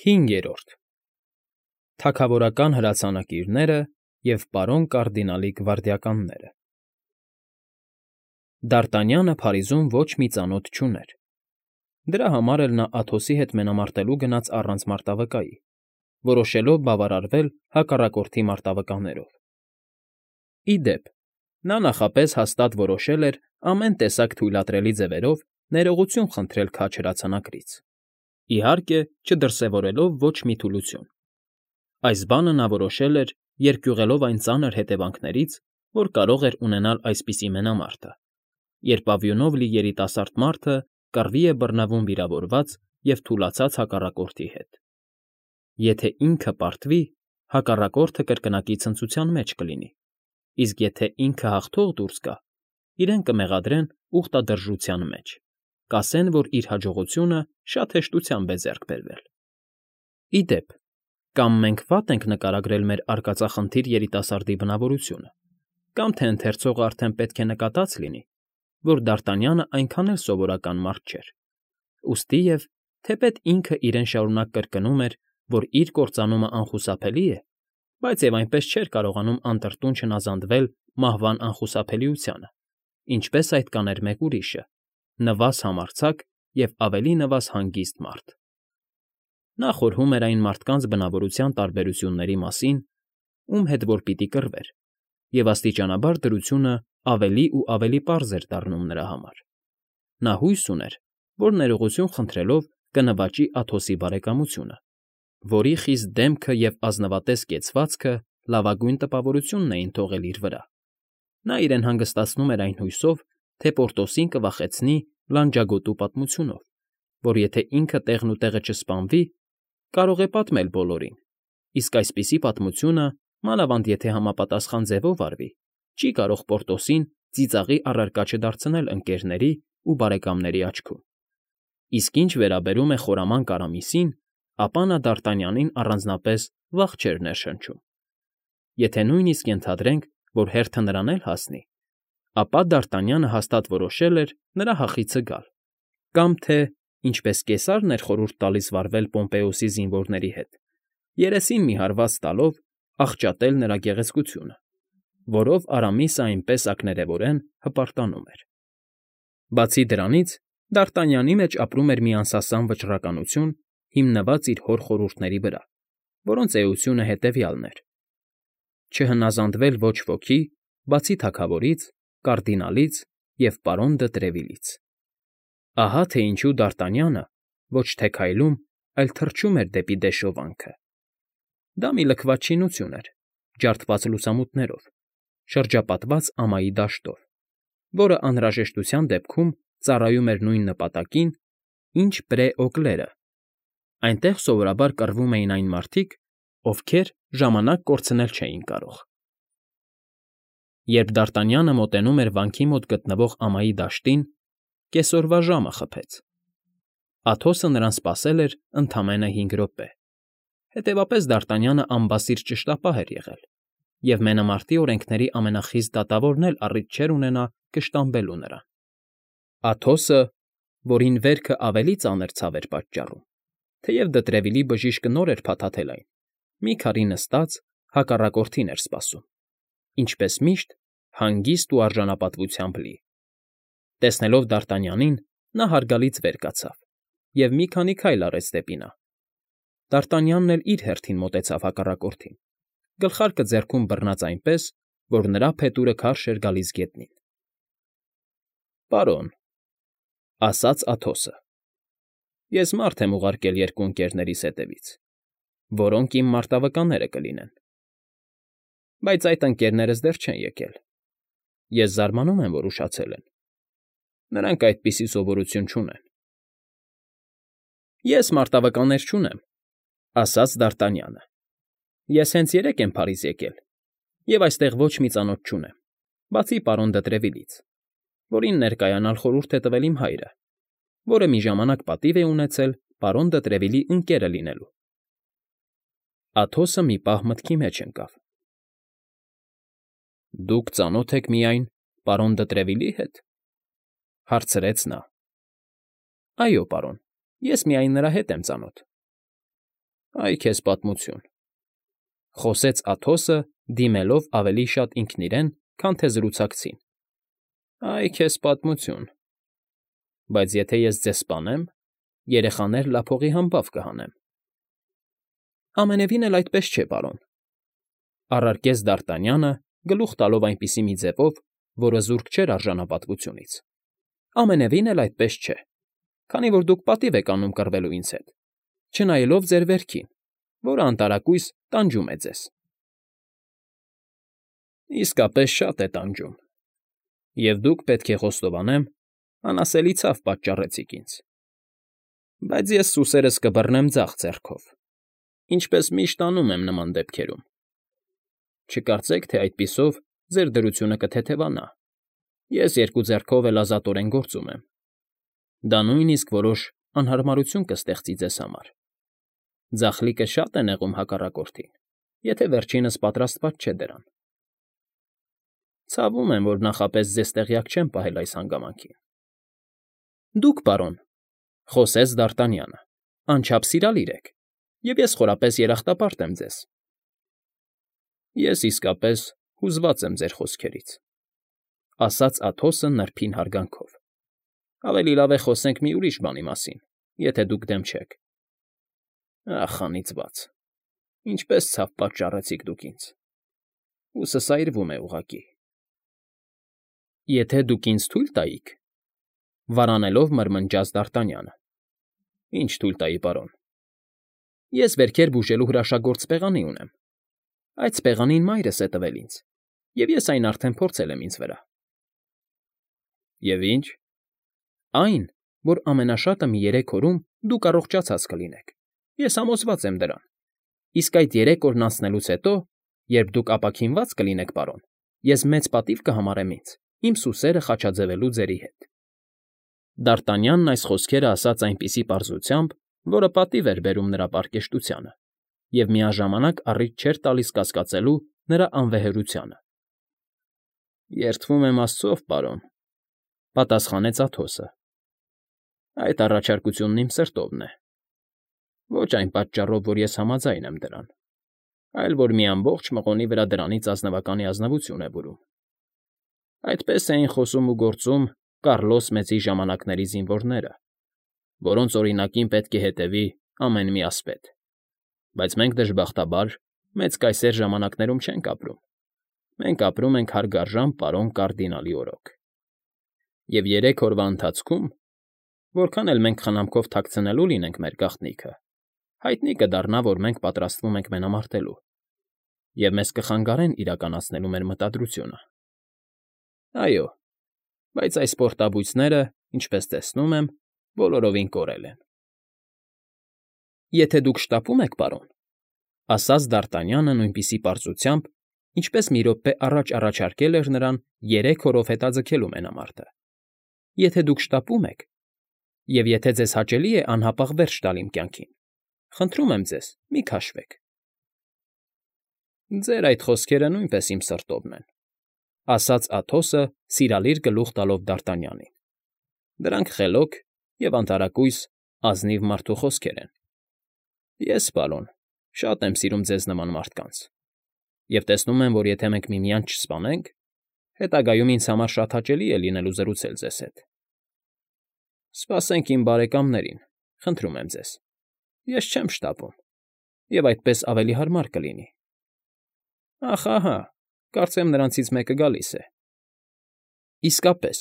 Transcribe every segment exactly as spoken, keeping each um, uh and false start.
Հինգերորդ Թագավորական հրացանակիրները և պարոն կարդինալի գվարդիականները Դ'Արտանյանը Փարիզում ոչ մի ծանոթ չուներ, դրա համար էլ նա Աթոսի հետ մենամարտելու գնաց առանց մարտավկայի, որոշելով բավարարվել հակառակորդի մարտավկաներով։ Ի դեպ, նա նախապես հաստատ որոշել էր ամեն տեսակ թույլատրելի ձևերով ներողություն խնդրել քաջ հրացանակրից, իհարկե, չդրսևորելով ոչ մի թուլություն։ Այս բանը նա որոշել էր, երկյուղելով այն ծանր հետևանքներից, որ կարող էր ունենալ այսպիսի մենամարտը, երբ աղյունով լի երիտասարդ մարդը կռվի է բռնվում վիրավորված և թուլացած հակառակորդի հետ։ Եթե ինքը պարտվի, հակառակորդը կրկնակի ցնծության մեջ կլինի, իսկ եթե ինքը հաղթող դուրս գա, իրեն կմեղադրեն ուխտադրժության մեջ, կասեն, որ իր հաջողությունը շատ հեշտությամբ է ձեռք բերվել։ Ի դեպ, կամ մենք վատ ենք նկարագրել մեր արկածախնդիր երիտասարդի բնավորությունը, կամ թե ընթերցողը արդեն պետք է նկատած լինի, որ Դ'Արտանյանը այնքան էլ սովորական մարդ չէր, ուստիև, թեպետ ինքը իրեն շարունակ կրկնում էր, որ իր կործանումը անխուսափելի է, բայց և այնպես չէր կարողանում անտրտուն չհնազանդվել մահվան անխուսափելիությանը, ինչպես այդ կաներ մեկ ուրիշը՝ նվազ համարձակ և ավելի նվազ հանգիստ մարդ։ Նա խորհում էր այն մարդկանց բնավորության տարբերությունների մասին, ում հետ որ պիտի կռվեր, և աստիճանաբար դրությունը ավելի ու ավելի պարզ էր դառնում նրա համար։ Նա հույս ուներ, որ ներողություն խնդրելով կնվաճի Աթոսի բարեկամությունը, որի խիստ դեմքը և ազնվատես կեցվածքը լավագույն տպավորությունն էին թողել իր վրա։ Նա իրեն հանգստացնում էր այն հույսով, թե Պորտոսին կվախեցնի լանջագոտու պատմությունով, որ եթե ինքը տեղն ու տեղը չսպանվի, կարող է պատմել բոլորին, իսկ այսպիսի պատմությունը, մանավանդ եթե համապատասխան ձևով արվի, չի կարող Պորտոսին ծիծաղի առարկա չդարձնել ընկերների ու բարեկամների աչքում։ Իսկ ինչ վերաբերում է խորամանկ Արամիսին, ապա նա Դ'Արտանյանին առանձնապես վախ չէր ներշնչում։ Եթե նույնիսկ ենթադրենք, որ հերթը նրան էլ հասնի, ապա Դ'Արտանյանը հաստատ որոշել էր նրա հախիցը գալ, կամ թե, ինչպես Կեսարն էր խորհուրդ տալիս վարվել Պոմպեոսի զինվորների հետ, երեսին մի հարված տալով աղճատել նրա գեղեցկությունը, որով Արամիսը այնպես ակներևորեն հպարտանում էր։ Բացի դրանից, Դ'Արտանյանի մեջ ապրում էր մի անսասան վճռականություն, հիմնված իր հոր խորհուրդների վրա, որոնց էությունը հետևյալն էր. չհնազանդվել ոչ ոքի, բացի թագավորից, կարդինալից և պարոն դը Տրևիլից։ Ահա թե ինչու Դ'Արտանյանը ոչ թե քայլում, այլ թռչում էր դեպի դեշովանքը։ Դա մի լքված շինություն էր, ջարդված լուսամուտներով, շրջապատված ամայի դաշտով, որը անհրաժեշտության դեպքում ծառայում էր նույն նպատակին, ինչ Պրե Օկլերը. այնտեղ սովորաբար կռվում էին այն մարդիկ, ովքեր ժամանակ կորցնել չէին կարող։ Երբ Դ'Արտանյանը մոտենում էր վանքի մոտ գտնվող ամայի դաշտին, կեսօրվա ժամը խփեց։ Աթոսը նրան սպասել էր ընդամենը հինգ րոպե, հետևապես Դ'Արտանյանը անբասիր ճշտապահ էր եղել, և մենամարտի օրենքների ամենախիստ դատավորն էլ առիթ չէր ունենա կշտամբելու նրան։ Աթոսը, որին վերքը ավելի ծանր ցավ էր պատճառում, թեև Դը Տրևիլի բժիշկը նոր էր փաթաթել այն, մի քարի նստած, հակառակորդին էր սպասում, ինչպես միշտ, հանգիստ ու արժանապատվությամբ լի։ Տեսնելով Դ'Արտանյանին, նա հարգալից վեր կացավ և մի քանի քայլ արեց դեպի նա։ Դ'Արտանյանն էլ իր հերթին մոտեցավ հակառակորդին, գլխարկը ձեռքում բռնած այնպես, որ նրա փետուրը քարշ էր գալիս գետնին։ ֊ Պարոն,֊ ասաց Աթոսը,֊ ես մարդ եմ ուղարկել երկու ընկերներիս հետևից, որոնք իմ մարտավկաները կլինեն, բայց այդ ընկերներս դեռ չեն եկել։ Ես զարմանում եմ, որ ուշացել են. նրանք այդպիսի սովորություն չունեն։ ֊ Ես մարտավկաններ չունեմ,֊ ասաց Դ'Արտանյանը,֊ ես հենց երեկ եմ Փարիզ եկել և այստեղ ոչ մի ծանոթ չունեմ, բացի պարոն Դը Տրևիլից, որին ներկայանալ խորհուրդ է տվել իմ հայրը, որը մի ժամանակ պատիվ է ունեցել պարոն Դը Տրևիլի ընկերը լինելու։ Աթոսը մի պահ մտքի մեջ ընկավ։ ֊ Դուք ծանո՞թ եք միայն պարոն Դը Տրևիլի հետ,֊ հարցրեց նա։ ֊ Այո, պարոն, ես միայն նրա հետ եմ ծանոթ։ Այ քեզ պատմություն,֊ խոսեց Աթոսը, դիմելով ավելի շատ ինքն իրեն, քան թե զրուցակցին։֊ Այ քեզ պատմություն… Բայց եթե ես ձեզ սպանեմ, երեխաներ լափողի համբավ կհանեմ։ ֊ Ամենևին էլ այդպես չէ, պարոն,֊ առարկեց Դ'Արտանյանը, գլուխ տալով այնպիսի մի ձևով, որը զուրկ չէր արժանապատվությունից։֊ Ամենևին էլ այդպես չէ, քանի որ դուք պատիվ եք անում կռվելու ինձ հետ, չնայելով ձեր վերքին, որը անտարակույս տանջում է ձեզ։ ֊ Իսկապես շատ է տանջում, և դուք, պետք է խոստովանեմ, անասելի ցավ պատճառեցիք ինձ։ Բայց ես սուսերս կբռնեմ ձախ ձեռքով, ինչպես միշտ անում եմ նման դեպքերում։ Չկարծեք, թե այդպիսով ձեր դրությունը կթեթևանա, ես երկու ձեռքով էլ ազատորեն գործում եմ։ Դա նույնիսկ որոշ անհարմարություն կստեղծի ձեզ համար։ Ձախլիկը շատ է նեղում հակառակորդին, եթե վերջինս պատրաստված չէ դրան։ Ցավում եմ, որ նախապես ձեզ տեղյակ չեմ պահել այս հանգամանքին։ ֊ Դուք, պարոն,֊ խոսեց Դ'Արտանյանը,֊ անչափ սիրալիր եք, և ես խորապես երախտապարտ եմ ձեզ։ ֊ Ես իսկապես հուզված եմ ձեր խոսքերից,֊ ասաց Աթոսը նրբին հարգանքով։ ֊ Ավելի լավ է խոսենք մի ուրիշ բանի մասին, եթե դուք դեմ չեք։ ֊ Ախ, անիծված… Ինչպես ցավ պատճառեցիք դուք ինձ… Հույսս այրվում է ուղղակի։ ֊ Եթե դուք ինձ թույլ տայիք,֊ վարանելով մրմնջաց Դ'Արտանյանը։ ֊ Ինչ թույլ տայի, պարոն։ ֊ Ես վերքեր բուժելու հրաշագործ սպեղանի ունեմ։ Այդ սպեղանին մայրս է տվել ինձ, և ես այն արդեն փորձել եմ ինձ վրա։ ֊ Եվ ինչ։ ֊ Այն, որ ամենաշատը մի երեք օրում դուք առողջացած կլինեք, ես համոզված եմ դրան, իսկ այդ երեք օրն անցնելուց հետո, երբ դուք ապաքինված կլինեք, պարոն, ես մեծ պատիվ կհամարեմ ինձ իմ սուսերը խաչաձևելու ձերի հետ։ Դ'Արտանյանն այս խոսքերը ասաց այնպիսի պարզությամբ, որը պատիվ էր բերում նրա պարկեշտությանը և միաժամանակ առիթ չէր տալիս կասկածելու նրա անվեհերությանը։ ֊ Երդվում եմ աստծով, պարոն,֊ պատասխանեց Աթոսը։ Այդ առաջարկությունն իմ սրտովն է։ Ոչ այն պատճառով, որ ես համաձայն եմ դրան, այլ որ մի ամբողջ մղոնի վրա դրանից ազնվականի ազնվություն է բերում։ Այդպես էին խոսում ու գործում Կառլոս Մեծի ժամանակների զինվորները, որոնց օրինակին պետք է հետևի ամեն մի ասպետ։ Բայց մենք, դժբախտաբար, Մեծ Կայսեր ժամանակներում չենք ապրում, մենք ապրում ենք հարգարժան պարոն կարդինալի օրոք։ Եվ երեք օրվա ընթացքում, որքան էլ մենք խնամքով թաքցնելու լինենք մեր գաղտնիքը, հայտնի կդառնա, որ մենք պատրաստվում ենք մենամարտելու, և մեզ կխանգարեն իրականացնելու մեր մտադրությունը։ Այո, բայց այս պորտաբույծները, ինչպես տեսնում եմ, բոլորովին կորել են։ ֊ Եթե դուք շտապում եք, պարոն,֊ ասաց Դ'Արտանյանը նույնպիսի պարզությամբ, ինչպես մի րոպե առաջ առաջարկել էր նրան երեք օրով հետաձգելու մենամարտը,֊ եթե դուք շտապում եք, և եթե ձեզ հաճելի է անհապաղ վերջ տալ իմ կյանքին, խնդրում եմ ձեզ, մի քաշվեք։ ֊ Ձեր այդ խոսքերը նույնպես իմ սրտովն են,֊ ասաց Աթոսը, սիրալիր գլուխ տալով Դ'Արտանյանին։ Դրանք խելոք և անտարակույս ազնիվ մարդու խոսքեր են։ Ես, պարոն, շատ եմ սիրում ձեզ նման մարդկանց, և տեսնում եմ, որ եթե մենք միմյանց չսպանենք, հետագայում ինձ համար շատ հաճելի է լինելու զրուցել ձեզ հետ։ Սպասենք իմ բարեկամներին, խնդրում եմ ձեզ, ես չեմ շտապում, և այդպես ավելի հարմար կլինի։ Ախ, ահա, կարծեմ նրանցից մեկը գալիս է։ Իսկապես,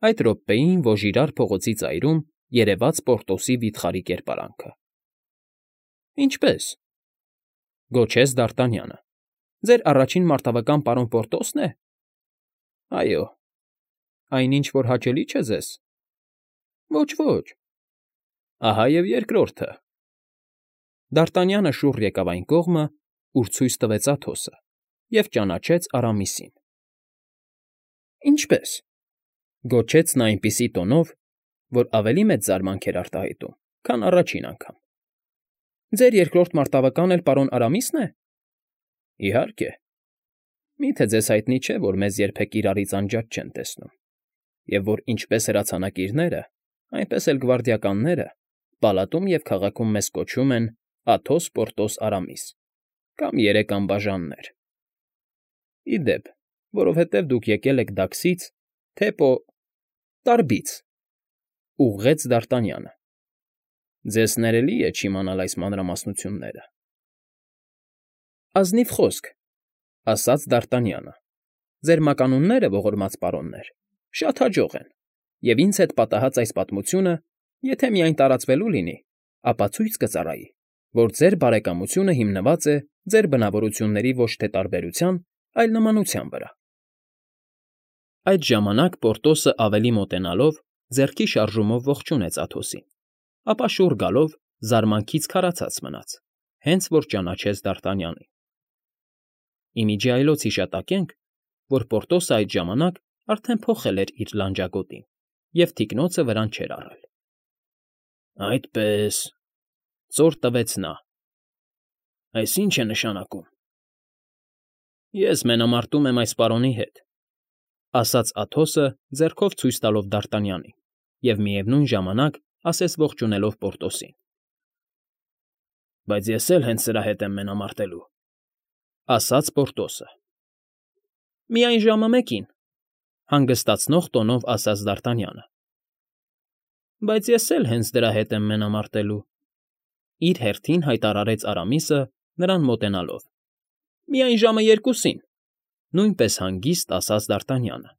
այդ րոպեին Ոժիրար փողոցի ծայրում երևաց Պորտոսի վիթխարի կերպարանքը։ ֊ Ինչպե՞ս,֊ գոչեց Դ'Արտանյանը։֊ Ձեր առաջին մարտավական պարոն Պորտոսն է։ ֊ Այո։ ֊ Այն ինչ որ հաճելի չէ ձեզ։ ֊ Ոչ, ոչ։ ֊ Ահա և երկրորդը։ Դ'Արտանյանը շուռ եկավ այն կողմը, ուր ցույց տվեց Աթոսը, և ճանաչեց Արամիսին։ ֊ Ինչպե՞ս,֊ գոչեց նա այնպիսի տոնով, որ ավելի մեծ զարմանք էր արտահայտում, քան առաջին անգամ։ ֊ Ձեր երկրորդ մարտավականը էլ պարոն Արամիսն է։ ֊ Իհարկե։ Մի՞թե ձեզ հայտնի չէ, որ մեզ երբեք իրարից անջատ չեն տեսնում, և որ ինչպես հրացանակիրները, այնպես էլ գվարդիականները պալատում և քաղաքում մեզ կոչում են Աթոս, Պորտոս, Արամիս, կամ երեք անբաժաններ։ Ի դեպ, որովհետև դուք եկել եք Դաքսից, թե Պո… Տարբից,֊ ուղղեց Դարտանյանը։ Ձեզ ներելի է չիմանալ այս մանրամասնությունները։ ֊ Ազնիվ խոսք,֊ ասաց Դարտանյանը։ Ձեր մականունները, ողորմած պարոններ, շատ հաջող են, և ինձ հետ պատահած այս պատմությունը, եթե միայն տարածվելու լինի, ապա ցույց կծառայի, որ ձեր բարեկամությունը հիմնված է ձեր բնավորությունների ոչ թե տարբերության, այլ նմանության վրա։ Այդ ժամանակ Պորտոսը ավելի մոտենալով ձեռքի շարժումով ողջունեց Աթոսին, ապա շուռ գալով զարմանքից քարացած մնաց, հենց որ ճանաչեց Դարտանյանին։ Ի միջի այլոց հիշատակենք, որ Պորտոսը այդ ժամանակ արդեն փոխել էր իր լանջագոտին և թիկնոցը վրան չէր առել։ ֊ Այդպե՜ս,֊ ծոր տվեց նա։ Այս ի՞նչ է նշանակում։ ֊ Ես մենամարտում եմ այս պարոնի հետ,֊ ասաց Աթոսը ձեռքով ցույց տալով Դարտանյանին և միևնույն ժամանակ ասես ողջունելով Պորտոսին։ ֊ Բայց ես էլ հենց սրա հետ եմ մենամարտելու,֊ ասաց Պորտոսը։ ֊ Միայն ժամը մեկին,֊ հանգստացնող տոնով ասաց Դարտանյանը։ ֊ Բայց ես էլ հենց դրա հետ եմ մենամարտելու,֊ իր հերթին հայտարարեց Արամիսը, նրան մոտենալով։ ֊ Միայն ժամը երկուսին,֊ նույնպես հանգիստ ասաց Դարտանյանը։ ֊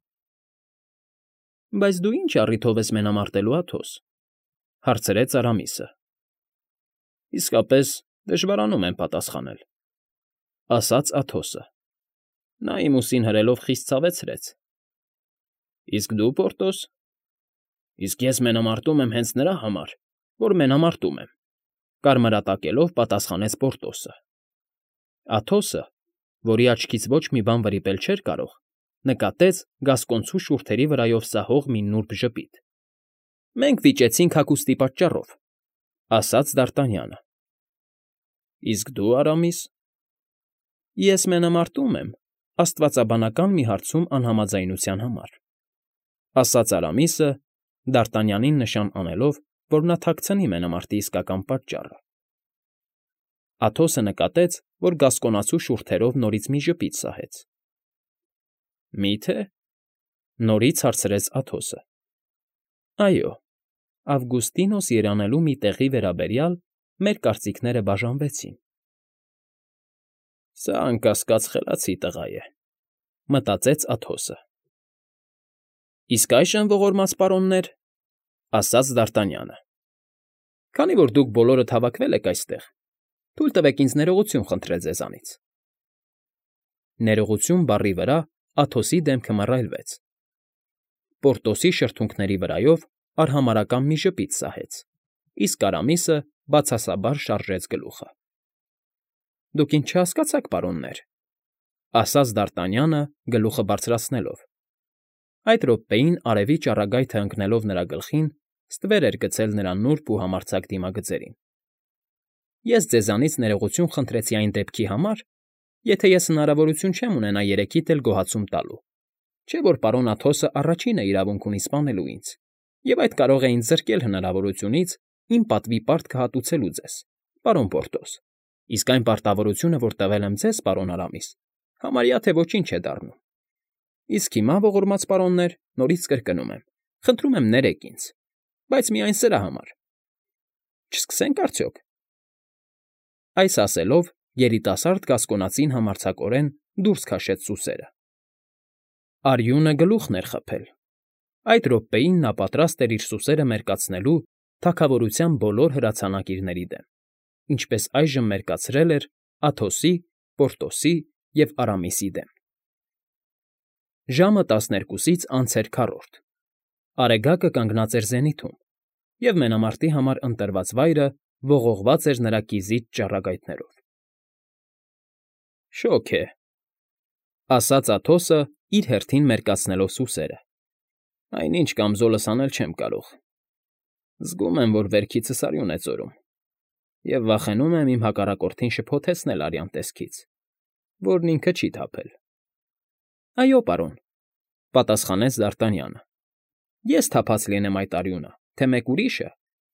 Բայց դու ի՞նչ առիթով ես մենամարտելու, Աթոս,֊ հարցրեց Արամիսը։ ֊ Իսկապես դժվարանում եմ պատասխանել,֊ ասաց Աթոսը։ Նա իմ ուսին հրելով խիստ ցավեցրեց։ ֊ Իսկ դու, Պորտոս։ ֊ Իսկ ես մենամարտում եմ հենց նրա համար, որ մենամարտում եմ,֊ կարմրատակելով պատասխանեց Պորտոսը։ Աթոսը, որի աչքից ոչ մի բան վրիպել չէր կարող, նկատեց գասկոնցու շուրթերի վրայով սահող մի նուրբ ժպիտ։ ֊ Մենք վիճեցինք հագուստի պատճառով,֊ ասաց Դարտանյանը։ ֊ Իսկ դու, Արամիս։ ֊ Ես մենամարտում եմ աստվածաբանական մի հարցում անհամաձայնության համար,֊ ասաց Արամիսը, Դարտանյանին նշան անելով, որ նա թաքցնի մենամարտի իսկական պատճառը։ Աթոսը նկատեց, որ գասկոնացու շուրթերով նորից մի ժպիտ սահեց։ ֊ Մի՞թե,֊ նորից հարցրեց Աթոսը։ ֊ Այո, Ավգուստինոս երանելու մի տեղի վերաբերյալ մեր կարծիքները բաժանվեցին։ «Սա, անկասկած, խելացի տղա է,֊ մտածեց Աթոսը։ ֊ Իսկ այժմ, ողորմած պարոններ,֊ ասաց Դարտանյանը,֊ քանի որ դուք բոլորդ հավաքվել եք այստեղ, թույլ տվեք ինձ ներողություն խնդրել ձեզանից։ Ներողություն բառի վրա Աթոսի դեմքը մռայլվեց։ Պորտոսի շրթունքների վրայով արհամարհական մի ժպիտ սահեց, իսկ Արամիսը բացասաբար շարժեց գլուխը։ ֊ Դուք ինձ չհասկացաք, պարոններ,֊ ասաց Դարտանյանը գլուխը բարձրացնելով։ Այդ րոպեին արևի ճառագայթը ընկնելով նրա գլխին, ստվեր էր գցել նրա նուրբ ու համարձակ դիմագծերին։ ֊ Ես ձեզանից ներողություն խնդրեցի այն դեպքի համար, եթե ես հնարավորություն չեմ ունենա երեքիդ էլ գոհացում տալու, չէ՞ որ պարոն Աթոսը առաջինը իրավունք ունի սպանելու ինձ, և այդ կարող է ինձ զրկել հնարավորությունից իմ պատվի պարտքը հատուցելու ձեզ, պարոն Պորտոս, իսկ այն պարտավորությունը, որ տվել եմ ձեզ, պարոն Արամիս, համարյա թե ոչինչ է դառնում։ Իսկ հիմա, ողորմած պարոններ, նորից կրկնում եմ, խնդրում եմ ներեք ինձ, բայց միայն սրա համար։ Չսկսե՞նք արդյոք։ Այս ասելով երիտասարդ գասկոնացին համարձակորեն դուրս քաշեց սուսերը։ Արյունը գլուխն էր խփել։ Այդ րոպեին նա պատրաստ էր իր սուսերը մերկացնելու թագավորության բոլոր հրացանակիրների դեմ, ինչպես այժմ մերկացրել էր Աթոսի, Պորտոսի և Արամիսի դեմ։ Ժամը տասներկուսից անց էր քառորդ։ Արեգակը կանգնած էր զենիթում, և մենամարտի համար ընտրված վայրը ողողված էր նրա կիզիճ ճառագայթներով։ ֊ Շոգ է,֊ ասաց Աթոսը, իր հերթին մերկացնելով սուսերը։ ֊ Այնինչ կամզոլս անել չեմ կարող։ Զգում եմ, որ վերքիցս արյուն է ծորում, և վախենում եմ իմ հակառակորդին շփոթեցնել արյան տեսքից, որն ինքը չի թափել։ ֊ Այո, պարոն,֊ պատասխանեց Դարտանյանը,֊ ես թափած լինեմ այդ արյունը, թե մեկ ուրիշը,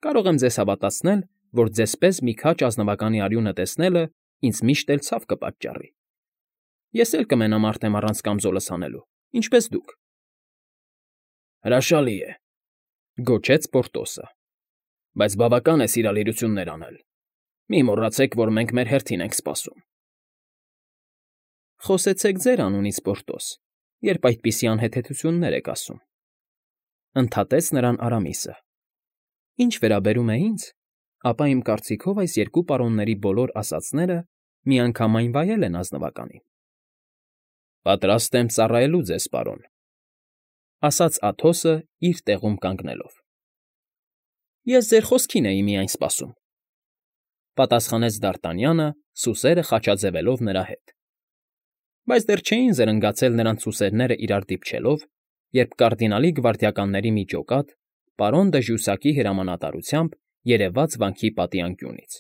կարող եմ ձեզ հավատացնել, որ ձեզպես մի քաջ ազնվականի արյունը տեսնելը ինձ միշտ էլ ցավ կպատճառի։ Ես էլ կմենամ արդեն առանց կամզոլս հանելու, ինչպես դուք։ ֊ Հրաշալի է,֊ գոչեց Պորտոսը,֊ բայց բավական է սիրալիրություններ անել։ Մի մոռացեք, որ մենք մեր հերթին ենք սպասում։ ֊ Խոսեցեք ձեր անունից, Պորտոս, երբ այդպիսի անհեթեթություններ եք ասում,֊ ընդհատեց նրան Արամիսը։ Ինչ վերաբերում է ինձ, ապա իմ կարծիքով այս երկու պարոնների բոլոր ասածները միանգամայն վայել են ազնվականին։ ֊ Պատրաստ եմ ծառայելու ձեզ, պարոն,֊ ասաց Աթոսը իր տեղում կանգնելով։ ֊ Ես ձեր խոսքին էի միայն սպասում,֊ պատասխանեց Դարտանյանը, սուսերը խաչաձևելով նրա հետ։ Բայց դեռ չէին զրնգացել նրանց սուսերները իրար դիպչելով, երբ կարդինալի գվարդիականների մի ջոկատ պարոն դը Ժուսակի հրամանատարությամբ երևաց վանքի պատի անկյունից։